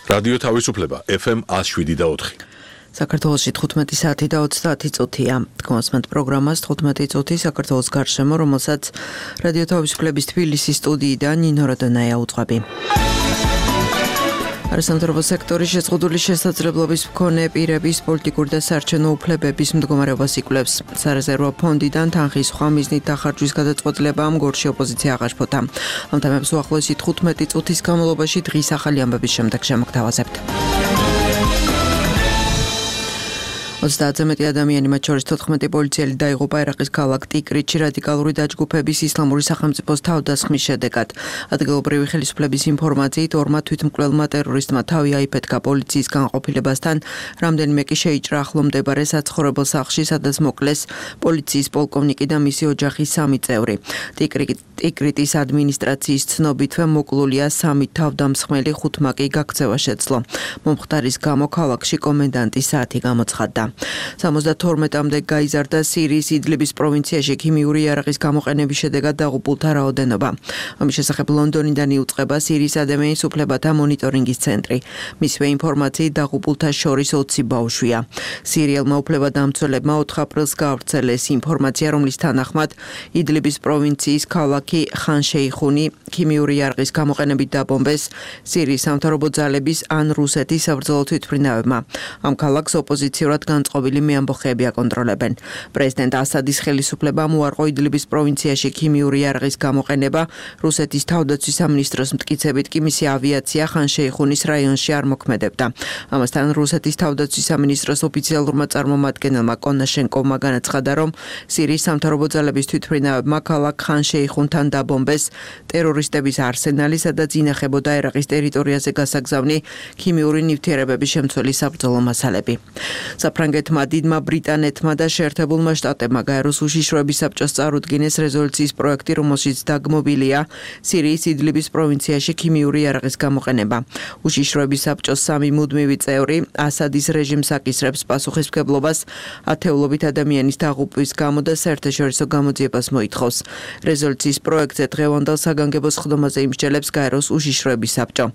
რადიო თავისუფლება FM 107.4. საქართველოში 15 საათი და 30 წუთია. კონსმენტ პროგრამას 15 წუთი საქართველოს გარშემო, რომელსაც რადიო თავისუფლების თბილისის სტუდიიდან ნინო როდონაია უძღვები. არასამთავრობო სექტორის შეზღუდული შესაძლებლობის მქონე პირების პოლიტიკური და საარჩევნო უფლებების მდგომარეობას იკვლევს. სარეზერვო ფონდიდან თანხის სხვა მიზნით დახარჯვის გადაწყვეტილებამ გორში ოპოზიცია აღაშფოთა. ამ თემებს უახლოესი 15 წუთის განმავლობაში დღის ახალი ამბების შემდეგ შემოგთავაზებთ. 30-ზე მეტი ადამიანი, მათ შორის 14 პოლიციელი დაიღუპა ერაყის ქალაქ ტიკრიტში რადიკალური დაჯგუფების ისლამური სახელმწიფოს თავდასხმის შედეგად. ადგილობრივი ხელისუფლების ინფორმაციით, ორმა თვითმკვლელმა ტერორისტმა თავი აიფეთქა პოლიციის განყოფილებასთან, რამდენიმე კი შეიჭრა ახლო მდებარე საცხოვრებელ სახლში, სადაც მოკლეს პოლიციის პოლკოვნიკი და მისი ოჯახის 3 წევრი. ტიკრიტის ადმინისტრაციის ცნობითვე მოკლულია 3 თავდამსხმელი, 5-მა კი გაქცევა შეძლო. მომხდარის გამო ქალაქში კომენდანტის საათი გამოცხადდა. 72-მდე გაიზარდა სირიის იდლიბის პროვინციაში ქიმიური იარაღის გამოყენების შედეგად დაღუპულთა რაოდენობა. ამის შესახებ ლონდონიდან იუწყება სირიის ადამიანის უფლებათა მონიტორინგის ცენტრი. მისივე ინფორმაციით დაღუპულთა შორის 20 ბავშვია. სირიელმა უფლებადამცველებმა 4 აპრილს გაავრცელეს ინფორმაცია, რომლის თანახმად იდლიბის პროვინციის ქალაქი ხან-შეიხუნი ქიმიური იარაღის გამოყენებით დაბომბეს სირიის სამთავრობო ძალების ან რუსეთის საბრძოლო თვითმფრინავებმა. ამ ქალაქს ოპოზიციურად განწყობილი მეამბოხეები აკონტროლებენ. პრეზიდენტ ასადის ხელისუფლებამ უარყო იდლიბის პროვინციაში ქიმიური იარაღის გამოყენება, რუსეთის თავდაცვის სამინისტროს მტკიცებით კი მისი ავიაცია ხან-შეიხუნის რაიონში არ მოქმედებდა. ამასთან რუსეთის თავდაცვის სამინისტროს ოფიციალურმა წარმომადგენელმა კონაშენკოვმა განაცხადა, რომ სირიის სამთავრობო ძალების თვითმფრინავებმა ქალაქ ხან-შეიხუნთან დაბომბეს ტერორისტების არსენალი, სადაც ინახებოდა ერაყის ტერიტორიაზე გასაგზავნი ქიმიური ნივთიერებების შემცველი საბრძოლო მასალები. საფრანგეთმა, დიდმა ბრიტანეთმა და შეერთებულმა შტატებმა გაეროს უშიშროების საბჭოს წარუდგინეს რეზოლუციის პროექტი, რომელშიც დაგმობილია სირიის იდლიბის პროვინციაში ქიმიური იარაღის გამოყენება. უშიშროების საბჭოს 3 მუდმივი წევრი ასადის რეჟიმს აკისრებს პასუხისმგებლობას ათეულობით ადამიანის დაღუპვის გამო და საერთაშორისო გამოძიებას მოითხოვს. რეზოლუციის პროექტზე დღევანდელ საგანგებო სხდომაზე იმსჯელებს გაეროს უშიშროების საბჭო.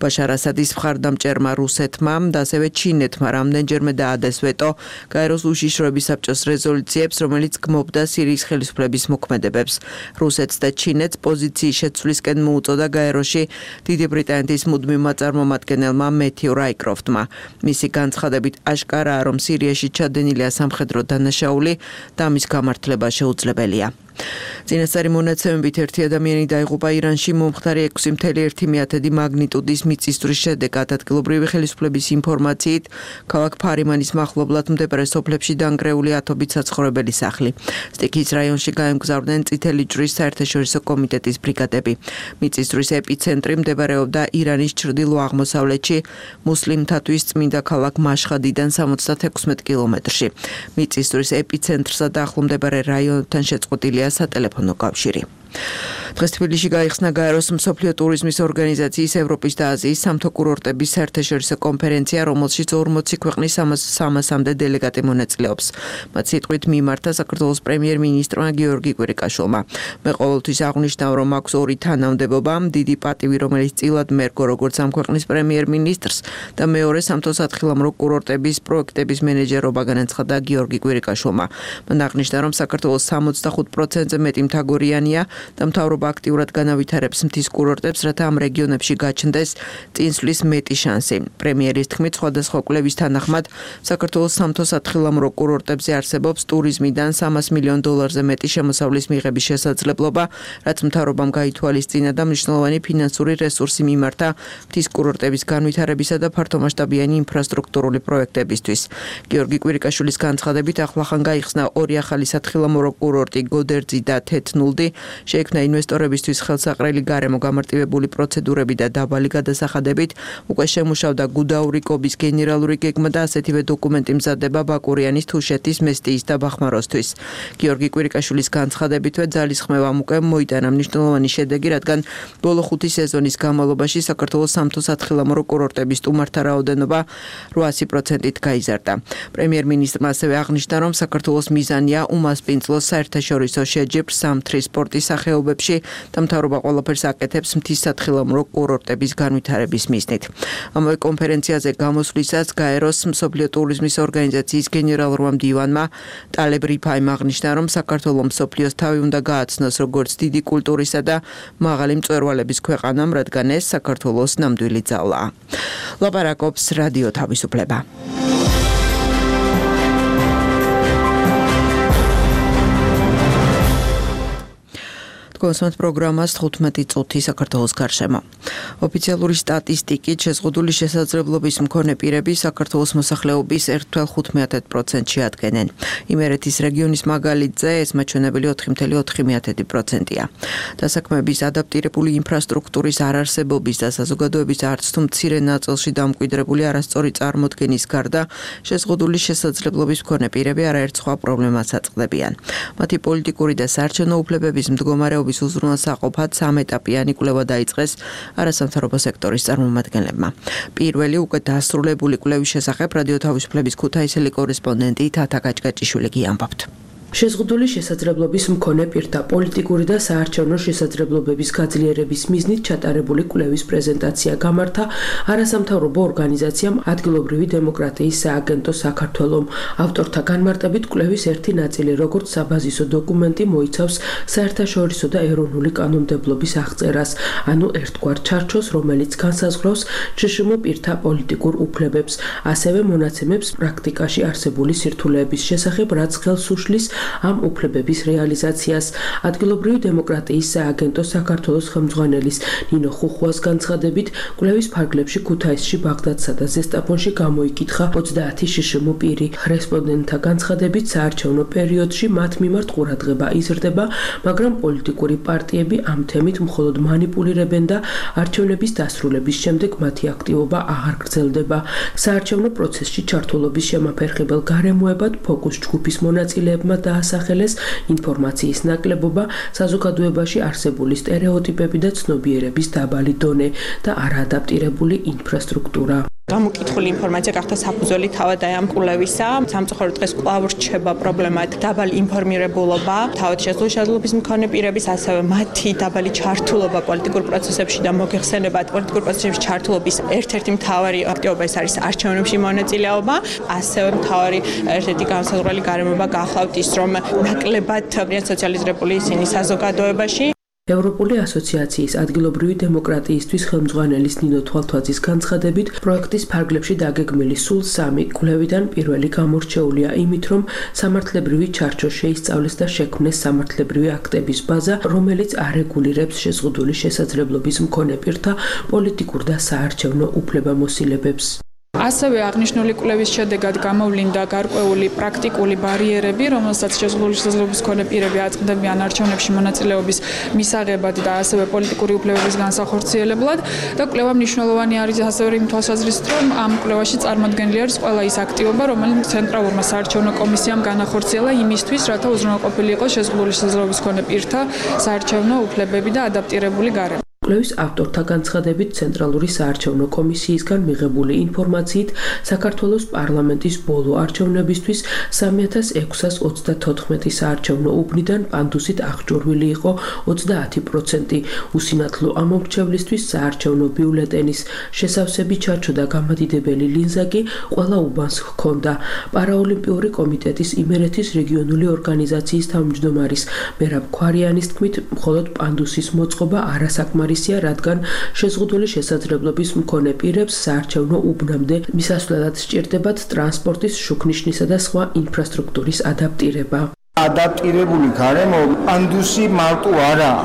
ბაშარ ასადის მხარდამჭერმა რუსეთმა და ასევე ჩინეთმა რამდენჯერმე დაადეს ვეტო გაეროს უშიშროების საბჭოს რეზოლუციებს, რომელიც გმობდა სირიის ხელისუფლების მოქმედებებს. რუსეთს და ჩინეთს პოზიციის შეცვლისკენ მოუწოდა გაეროში დიდი ბრიტანეთის მუდმივმა წარმომადგენელმა მეთიუ რაიკროფტმა. მისი განცხადებით აშკარაა, რომ სირიაში ჩადენილია სამხედრო დანაშაული და მის გამართლება შეუძლებელია. წინასწარი მონაცემებით 1 ადამიანი დაიღუპა ირანში მომხდარი 6.1 მაგნიტუდის მიწისძვრის შედეგად. ადგილობრივი ხელისუფლების ინფორმაციით, ქალაქ ფარიმანის მახლობლად მდებარე სოფლებში დანგრეული ათობით საცხოვრებელი სახლი. სტიქის რაიონში გაემგზავრნენ წითელი ჯვრის საერთაშორისო კომიტეტის ბრიგადები. მიწისძვრის ეპიცენტრი მდებარეობდა ირანის ჩრდილო-აღმოსავლეთში, მუსლიმთათვის წმინდა ქალაქ მაშხადიდან 76 კილომეტრში. მიწისძვრის ეპიცენტრსა და ახლომდებარე რაიონთან შეწყვეტილია სატელეფონო კავშირი. დღეს თბილისში გაიხსნა გაეროს მსოფლიო ტურიზმის ორგანიზაციის ევროპის და აზიის სამთო კურორტების საერთაშორისო კონფერენცია, რომელშიც 40 ქვეყნის 300-მდე დელეგატი მონაწილეობს. მათ სიტყვით მიმართა საქართველოს პრემიერ-მინისტრმა გიორგი კვირიკაშვილმა. მე ყოველთვის აღვნიშნავ, რომ აქვს 2 თანამდებობა, დიდი პატივი, რომელიც წილად მერგო როგორც ამ ქვეყნის პრემიერ-მინისტრს და მეორე სამთო სათხილამურო კურორტების პროექტების მენეჯერობა, განაცხადა გიორგი კვირიკაშვილმა. მან აღნიშნა, რომ საქართველოს 65%-ზე მეტი მთაგორიანია და მთავრობა აქტიურად განავითარებს მთის კურორტებს, რათა ამ რეგიონებში გაჩნდეს წინსვლის მეტი შანსი. პრემიერის თქმით, სხვადასხვა კვლევის თანახმად, საქართველოს სამთო სათხილამურო კურორტებზე არსებობს ტურიზმიდან $300 მილიონ მეტი შემოსავლის მიღების შესაძლებლობა, რაც მთავრობამ გაითვალისწინა და მნიშვნელოვანი ფინანსური რესურსი მიმართა მთის კურორტების განვითარებისა და ფართომასშტაბიანი ინფრასტრუქტურული პროექტებისთვის. გიორგი კვირიკაშვილის განცხადებით, ახლახან გაიხსნა 2 ახალი სათხილამურო კურორტი, გოდერძი და თეთნულდი. შეიქმნა ინვესტორებისთვის ხელსაყრელი გარემო, გამარტივებული პროცედურები და დაბალი გადასახადებით. უკვე შემუშავდა გუდაური კობის გენერალური გეგმა და ასეთივე დოკუმენტი მზადდება ბაკურიანის, თუშეთის, მესტიის და ბახმაროსთვის. გიორგი კვირიკაშვილის განცხადებითვე ძალისხმევამ უკვე მოიტანა მნიშვნელოვანი შედეგი, რადგან ბოლო 5 სეზონის განმავლობაში საქართველოს სამთო სათხილამურო კურორტების სტუმართა რაოდენობა 800%-ით გაიზარდა. პრემიერ-მინისტრმა ასევე აღნიშნა, რომ საქართველოს მიზანია უმასპინძლოს საერთაშორისო შეჯიბრ სამთრის სპორტის სახეობებში და მთავრობა ყველაფერს აკეთებს მთისათხილამურო კურორტების განვითარების მიზნით. ამავე კონფერენციაზე გამოსვლისას გაეროს მსოფლიო ტურიზმის ორგანიზაციის გენერალურმა მდივანმა ტალებ რიფაიმ აღნიშნა, რომ საქართველოს მსოფლიოს თავი უნდა გააცნოს როგორც დიდი კულტურისა და მაღალი მწვერვალების ქვეყანამ, რადგან ეს საქართველოს ნამდვილი ძალაა. ლაპარაკობს რადიო თავისუფლება. კონსუმატ პროგრამას 15 წუთი საქართველოს გარშემო. ოფიციალური სტატისტიკით შეზღუდული შესაძლებლობის მქონე პირები საქართველოს მოსახლეობის 1,15%-ში ადგენენ. იმერეთის რეგიონის მაგალითზე ეს მაჩვენებელი 4,4%-ია. დასაქმების ადაპტირებული ინფრასტრუქტურის არარსებობის და საზოგადოების არც თუ მცირე ნაწილში დამკვიდრებული არასწორი წარმოდგენის გარდა შეზღუდული შესაძლებლობის მქონე პირები არაერთ სხვა პრობლემას აწყდებიან. მათი პოლიტიკური და საარჩევნო უფლებების მდგომარეობის უზრუნველსაყოფად სამეტაპიანი კვლევა დაიწყეს არასამთავრობო სექტორის წარმომადგენლებმა. პირველი უკვე დასრულებული კვლევის შესახებ რადიო თავისუფლების ქუთაისელი კორესპონდენტი თათა გაჭგაჭიშვილი გიამბობთ. შეზღუდული შესაძლებლობის მქონე პირთა პოლიტიკური და საარჩევნო შესაძლებლობების გაძლიერების მიზნით ჩატარებული კვლევის პრეზენტაცია გამართა არასამთავრობო ორგანიზაციამ ადგილობრივი დემოკრატიის სააგენტო საქართველომ. ავტორთა განმარტებით კვლევის ერთი ნაწილი, როგორც საბაზისო დოკუმენტი, მოიცავს საერთაშორისო და ეროვნული კანონმდებლობის აღწერას, ანუ ერთგვარ ჩარჩოს, რომელიც განსაზღვრავს ჭშმ პირთა პოლიტიკურ უფლებებს, ასევე მონაცემებს პრაქტიკაში არსებული სირთულეების შესახებ, რაც ხელს უშლის ამ უფლებების რეალიზაციას. ადგილობრივი დემოკრატიის სააგენტო საქართველოს ხელმძღვანელის ნინო ხუხუას განცხადებით, კვლევის ფარგლებში ქუთაისში, ბაღდადსა და ზესტაფონში გამოიკითხა 30 შშმ პირი. რესპონდენტთა განცხადებით, საარჩევნო პერიოდში მათ მიმართ ყურადღება იზრდება, მაგრამ პოლიტიკური პარტიები ამ თემით მხოლოდ მანიპულირებენ და არჩევნების დასრულების შემდეგ მათი აქტივობა აღარ გრძელდება. საარჩევნო პროცესში ჩართულობის შემაფერხებელ გარემოებად ფოკუს ჯგუფის მონაწილეებმა დაასახელეს ინფორმაციის ნაკლებობა, საზოგადოებაში არსებული სტერეოტიპები და ცნობიერების დაბალი დონე და არაადაპტირებული ინფრასტრუქტურა. გამოკითხული ინფორმაცია გახდა საფუძველი თავად ამ კვლევისა. სამწუხაროდ დღეს კვლავ რჩება პრობლემად დაბალი ინფორმირებულობა, თავად შესაძლებლობის მქონე პირების, ასევე მათი დაბალი ჩართულობა პოლიტიკურ პროცესებში და მოგეხსენებათ პოლიტიკურ პროცესებში ჩართულობის ერთ-ერთი მთავარი აქტივობა ეს არის არჩევნებში მონაწილეობა, ასევე მთავარი ერთ-ერთი განსაზღვრელი გარემოება გახლავთ ის, რომ ნაკლებად სოციალიზირებული ისინი საზოგადოებაში. ევროპული ასოციაციის ადგილობრივი დემოკრატიისთვის ხელმძღვანელის ნინო თვალთვაძის განცხადებით, პროექტის ფარგლებში დაგეგმილი სულ 3 კვლევიდან პირველი გამორჩეულია იმით, რომ სამართლებრივი ჩარჩო შეისწავლეს და შექმნეს სამართლებრივი აქტების ბაზა, რომელიც არეგულირებს შეზღუდული შესაძლებლობის მქონე პირთა პოლიტიკურ და საარჩევნო უფლებამოსილებებს. ასევე აღნიშნული კვლევის შედეგად გამოვლინდა გარკვეული პრაქტიკული ბარიერები, რომელსაც შეზღუდული შესაძლებლობის მქონე პირები აწყდებიან არჩევნებში მონაწილეობის მისაღებად და ასევე პოლიტიკური უფლებების განსახორციელებლად და კვლევა მნიშვნელოვანი არის ასევე იმ თვალსაზრისით, რომ ამ კვლევაში წარმოდგენილი არის ყველა ის აქტივობა, რომელიც ცენტრალურმა საარჩევნო კომისიამ განახორციელა იმისთვის, რათა უზრუნველყოფილი იყოს შეზღუდული შესაძლებლობის მქონე პირთა საარჩევნო უფლებები და ადაპტირებული გარემო. კვლევის ავტორთა განცხადებით, ცენტრალური საარჩევნო კომისიისგან მიღებული ინფორმაციით, საქართველოს პარლამენტის ბოლო არჩევნებისთვის 3624 საარჩევნო უბნიდან პანდუსით აღჭურვილი იყო 30%. უსინათლო ამომრჩევლისთვის საარჩევნო ბიულეტენის შესავსები ჩარჩო და გამადიდებელი ლინზა კი ყველა უბანს ჰქონდა. პარაოლიმპიური კომიტეტის იმერეთის რეგიონული ორგანიზაციის თავმჯდომარის მერაბ ქვარიანის თქმით, მხოლოდ პანდუსის მოწყობა არასაკმარისია, რადგან შეზღუდული შესაძლებლობის მქონე პირებს საარჩევნო უბნამდე მისასვლელად სჭირდებათ ტრანსპორტის, შუქნიშნისა და სხვა ინფრასტრუქტურის ადაპტირება. ადაპტირებული გარემო პანდუსი მარტო არაა.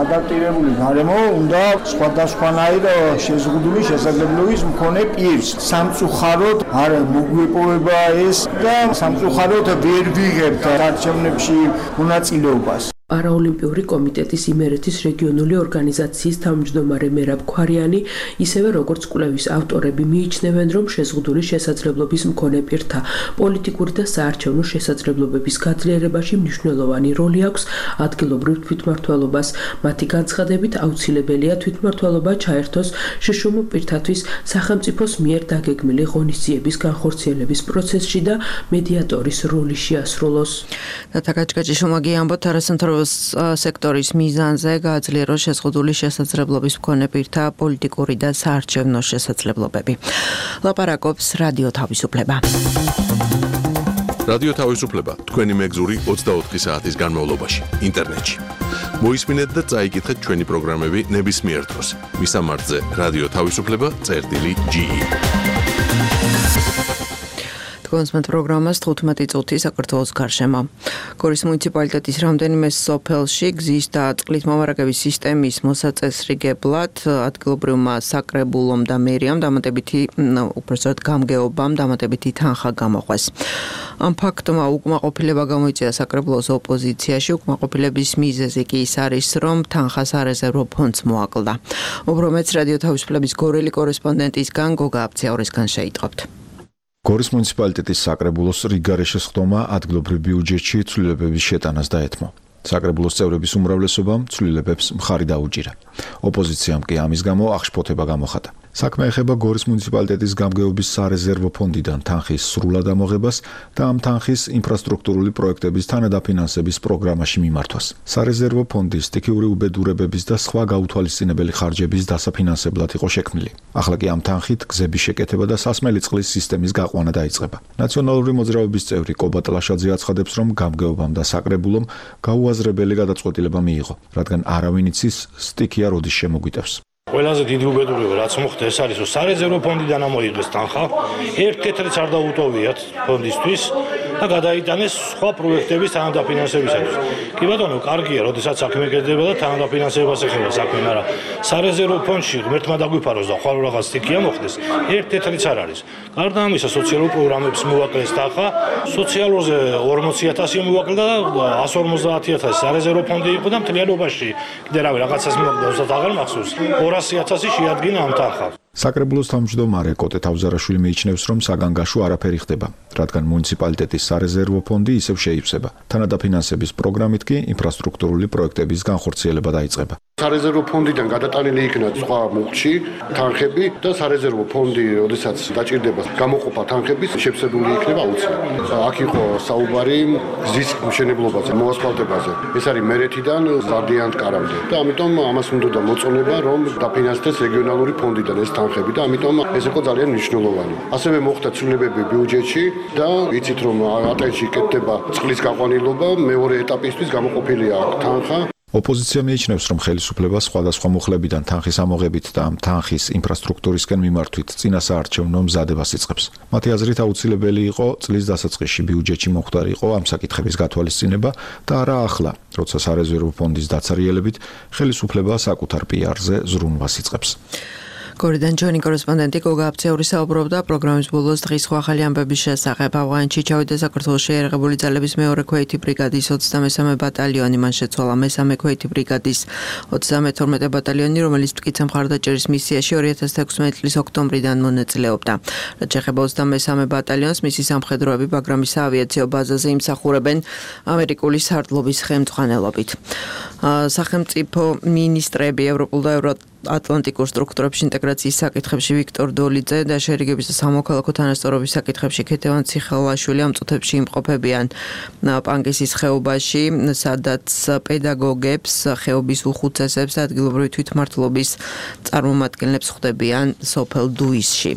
ადაპტირებული გარემო უნდა სხვადასხვანაირ შეზღუდული შესაძლებლობის მქონე პირს. სამწუხაროდ არ მოგვეპოვება ეს და სამწუხაროდ ვერ ვიღებთ არჩევნებში მონაწილეობას. პარაოლიმპიური კომიტეტის იმერეთის რეგიონული ორგანიზაციის თავმჯდომარე მერაბ ქვარიანი, ისევე როგორც კვლევის ავტორები მიიჩნევენ, რომ შეზღუდული შესაძლებლობის მქონე პირთა პოლიტიკური და საარჩევნო შესაძლებლობების გაძლიერებაში მნიშვნელოვანი როლი აქვს ადგილობრივ თვითმმართველობას. მათი განცხადებით, აუცილებელია თვითმმართველობა ჩაერთოს შშმ პირთათვის სახელმწიფოს მიერ დაგეგმილი ღონისძიების განხორციელების პროცესში და მედიატორის როლი შეასრულოს. თათა გაჭგაჭიშვილმა გიამბობთ არასამთავრობო სექტორის მიზანზე გააძლიეროს შეზღუდული შესაძლებლობის მქონე პირთა პოლიტიკური და საარჩევნო შესაძლებლობები. ლაპარაკობს რადიო თავისუფლება. რადიო თავისუფლება თქვენი მეგზური 24 საათის განმავლობაში ინტერნეტში. მოისმინეთ და წაიკითხეთ ჩვენი პროგრამები ნებისმიერ დროს. მისამართზე რადიო თავისუფლება.ge კონსმეთ პროგრამას 15 წუთი საქართველოს გარშემო. გორის მუნიციპალიტეტის რამდენიმე სოფელში გზის და წყლის მომარაგების სისტემის მოსაწესრიგებლად ადგილობრივმა საკრებულომ და მერიამ დამატებითი უпростоრად გამგეობამ დამატებითი თანხა გამოყვეს. ამ ფაქტმა უკმაყოფილება გამოიწვია საკრებულოს ოპოზიციაში. უკმაყოფილების მიზეზი კი ის არის, რომ თანხას არეზერვო ფონდს მოაკლდა. უფრო მეც რადიო თავისუფლების გორელი კორესპონდენტისგან გოგა აბციაურისგან შეიტყობთ. გორის მუნიციპალიტეტის საკრებულოს რიგარე შესხდომა ადგილობრივ ბიუჯეტში ცვლილებების შეტანას დაეთმო. საკრებულოს წევრების უმრავლესობამ ცვლილებებს მხარი დაუჭირა. ოპოზიციამ კი ამის გამო აღშფოთება გამოხატა. საქმე ეხება გორის მუნიციპალიტეტის გამგეობის სარეზერვო ფონდიდან თანხის სრულად ამოღებას და ამ თანხის ინფრასტრუქტურული პროექტების თანადაფინანსების პროგრამაში მიმართვას. სარეზერვო ფონდი სტიქიური უბედურებების და სხვა გაუთვალისწინებელი ხარჯების დასაფინანსებლად იყო შექმნილი. ახლა კი ამ თანხით გზების შეკეთება და სასმელი წყლის სისტემის გაყვანა დაიწყება. ნაციონალური მოძრაობის წევრი კობა ტლაშაძე აცხადებს, რომ გამგეობამ და საკრებულომ გაუაზრებელი გადაწყვეტილება მიიღო, რადგან არავინ იცის სტიქია როდის შემოგვიტევს. ყველაზე დიდი უბედურება რაც მოხდა ეს არის, რომ სარეზერვო ფონდიდან ამოიღეს თანხა, ერთ კეთრიც არ დაუტოვიათ ფონდისთვის და გადაიტანეს სხვა პროექტების თანადაფინანსებისათვის. კი ბატონო, კარგია, როდესაც საქმე კეთდება და თანადაფინანსებას ეხება საქმე, მაგრამ სარეზერვო ფონდში ღმერთმა დაგვიფაროს და ხვალ რაღაც სტიქია მოხდეს, ერთ კეთრიც არ არის. გარდა ამისა, სოციალურ პროგრამებს მოაკლეს თანხა, სოციალურზე 40,000 მოაკლდა და 150,000 სარეზერვო ფონდი იყო და მთლიანობაში კიდე რავი რაღაცას მოაკლდა, უბრალოდ აღარ მახსოვს. 200,000 შეადგინა ამ თანხას. საკრებულოს თავმჯდომარე კოტე თავზარაშვილი მიიჩნევს, რომ საგანგაშო არაფერი ხდება, რადგან მუნიციპალიტეტის სარეზერვო ფონდი ისევ შეივსება. თანადაფინანსების პროგრამით კი ინფრასტრუქტურული პროექტების განხორციელება დაიწყება. სარეზერვო ფონდიდან გადატანილი იქნა სხვა მუხტში თანხები და სარეზერვო ფონდი, როდესაც დაჭირდება გამოყოფა თანხების, შეფსებული იქნება აუცილებლად. აქ იყო საუბარი გზის მშენებლობაზე, მოასფალტებაზე. ეს არის მერეთიდან ზარდიანტკარამდე და ამიტომ ამას უნდა მოწონება, რომ დაფინანსდეს რეგიონალური ფონდიდან ეს თანხები და ამიტომ ეს იყო ძალიან მნიშვნელოვანი. ასევე მოხდა ცვლილებები ბიუჯეტში და იცით რომ ატენში კეთდება წყლის გაყვანილობა, მეორე ეტაპისთვის გამოყოფილია თანხა. ოპოზიცია მიიჩნევს, რომ ხელისუფლება სხვადასხვა მუხლებიდან თანხის ამოღებით და ამ თანხის ინფრასტრუქტურისკენ მიმართვით წინასაარჩევნო მზადებას იწყებს. მათი აზრით აუცილებელი იყო წლის დასაწყისში ბიუჯეტში მოხდარიყო ამ საკითხების გათვალისწინება და არა ახლა, როცა სარეზერვო ფონდის დაცარიელებით ხელისუფლება საკუთარ პიარზე ზრუნვას იწყებს. გორიდან ჩვენი კორესპონდენტი გოგა აბციური საუბრობდა პროგრამის ბოლოს დღის სხვა ახალი ამბების შესახებ. ავღანეთში ჩავიდა საქართველოს შეიარაღებული ძალების მეორე ქვეითი ბრიგადის 23 ბატალიონი, მან შეცვალა მესამე ქვეითი ბრიგადის 32 ბატალიონი, რომელიც მტკიცე მხარდაჭერის მისიაში 2016 წლის ოქტომბრიდან მონაწილეობდა. რაც შეეხება 23 ბატალიონს, მისი სამხედროები ბაგრამის საავიაციო ბაზაზე იმსახურებენ ამერიკული სარდლობის ხელმძღვანელობით. სახელმწიფო მინისტრები ევროპულ და ატლანტიკურ სტრუქტურებში ინტეგრაციის საკითხებში ვიქტორ დოლიძე და შერიგების და სამოქალაქო თანასწორობის საკითხებში ქეთევან ციხელაშვილი ამ წუთებში იმყოფებიან პანკისის ხეობაში, სადაც პედაგოგებს, ხეობის უხუცესებს და ადგილობრივი თვითმმართველობის წარმომადგენლებს ხვდებიან სოფელ დუისში.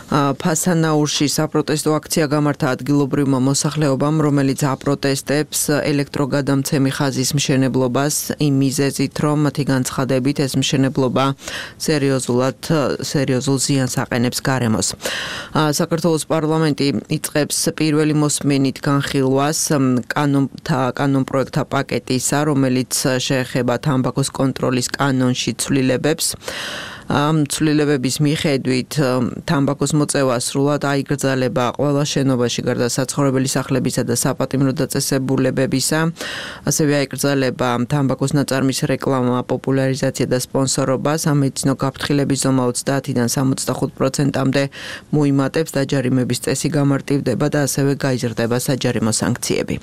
ფასანაურში საპროტესტო აქცია გამართა ადგილობრივმა მოსახლეობამ, რომელიც აპროტესტებს ელექტროგადამცემი ხაზის მშენებლობას იმ მიზეზით, რომ მათი განცხადებით ეს მშენებლობა სერიოზულ ზიანს აყენებს გარემოს. საქართველოს პარლამენტი იწყებს პირველი მოსმენით განხილვას კანონპროექტთა პაკეტისა, რომელიც შეეხება თამბაქოს კონტროლის კანონში ცვლილებებს. ამ ცვლილებების მიხედვით თამბაქოს მოწევა სრულად აიგრძელება ყველა შენობაში გარდა საცხოვრებელი სახლებისა და საპატიმრო დაწესებულებებისა. ასევე აიგრძელება თამბაქოს ნაწარმის რეკლამა, პოპულარიზაცია და სპონსორობა. სამედიცინო გაფრთხილების ზომა 30-დან 65%-მდე მოიმატებს, დაჯარიმების წესი გამარტივდება და ასევე გაიზრდება საჯარიმო სანქციები.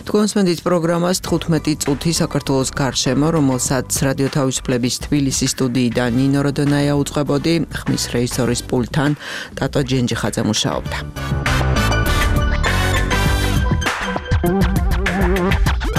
თქვენს პროგრამას 15 წუთი საქართველოს გარშემო, რომელსაც რადიო თავისუფლების თბილისის სტუდიიდან ნინო დონაია უწყებოდი, ხმის რეჟისორის პულტთან ტატო ჯენჯიხაძე მუშაობდა.